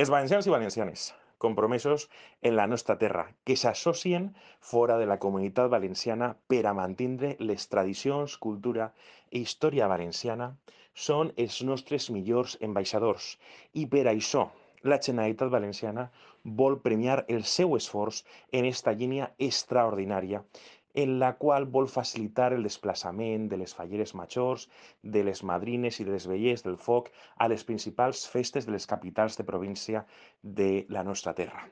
Els valencians i valencianes, compromesos en la nostra terra, que s'associen fora de la comunitat valenciana per a mantindre les tradicions, cultura i història valenciana, són els nostres millors ambaixadors i per això la Generalitat Valenciana vol premiar el seu esforç en esta línia extraordinària en la qual vol facilitar el desplaçament de les falleres majors, de les madrines i de les vellers del foc a les principals festes de les capitals de província de la nostra terra.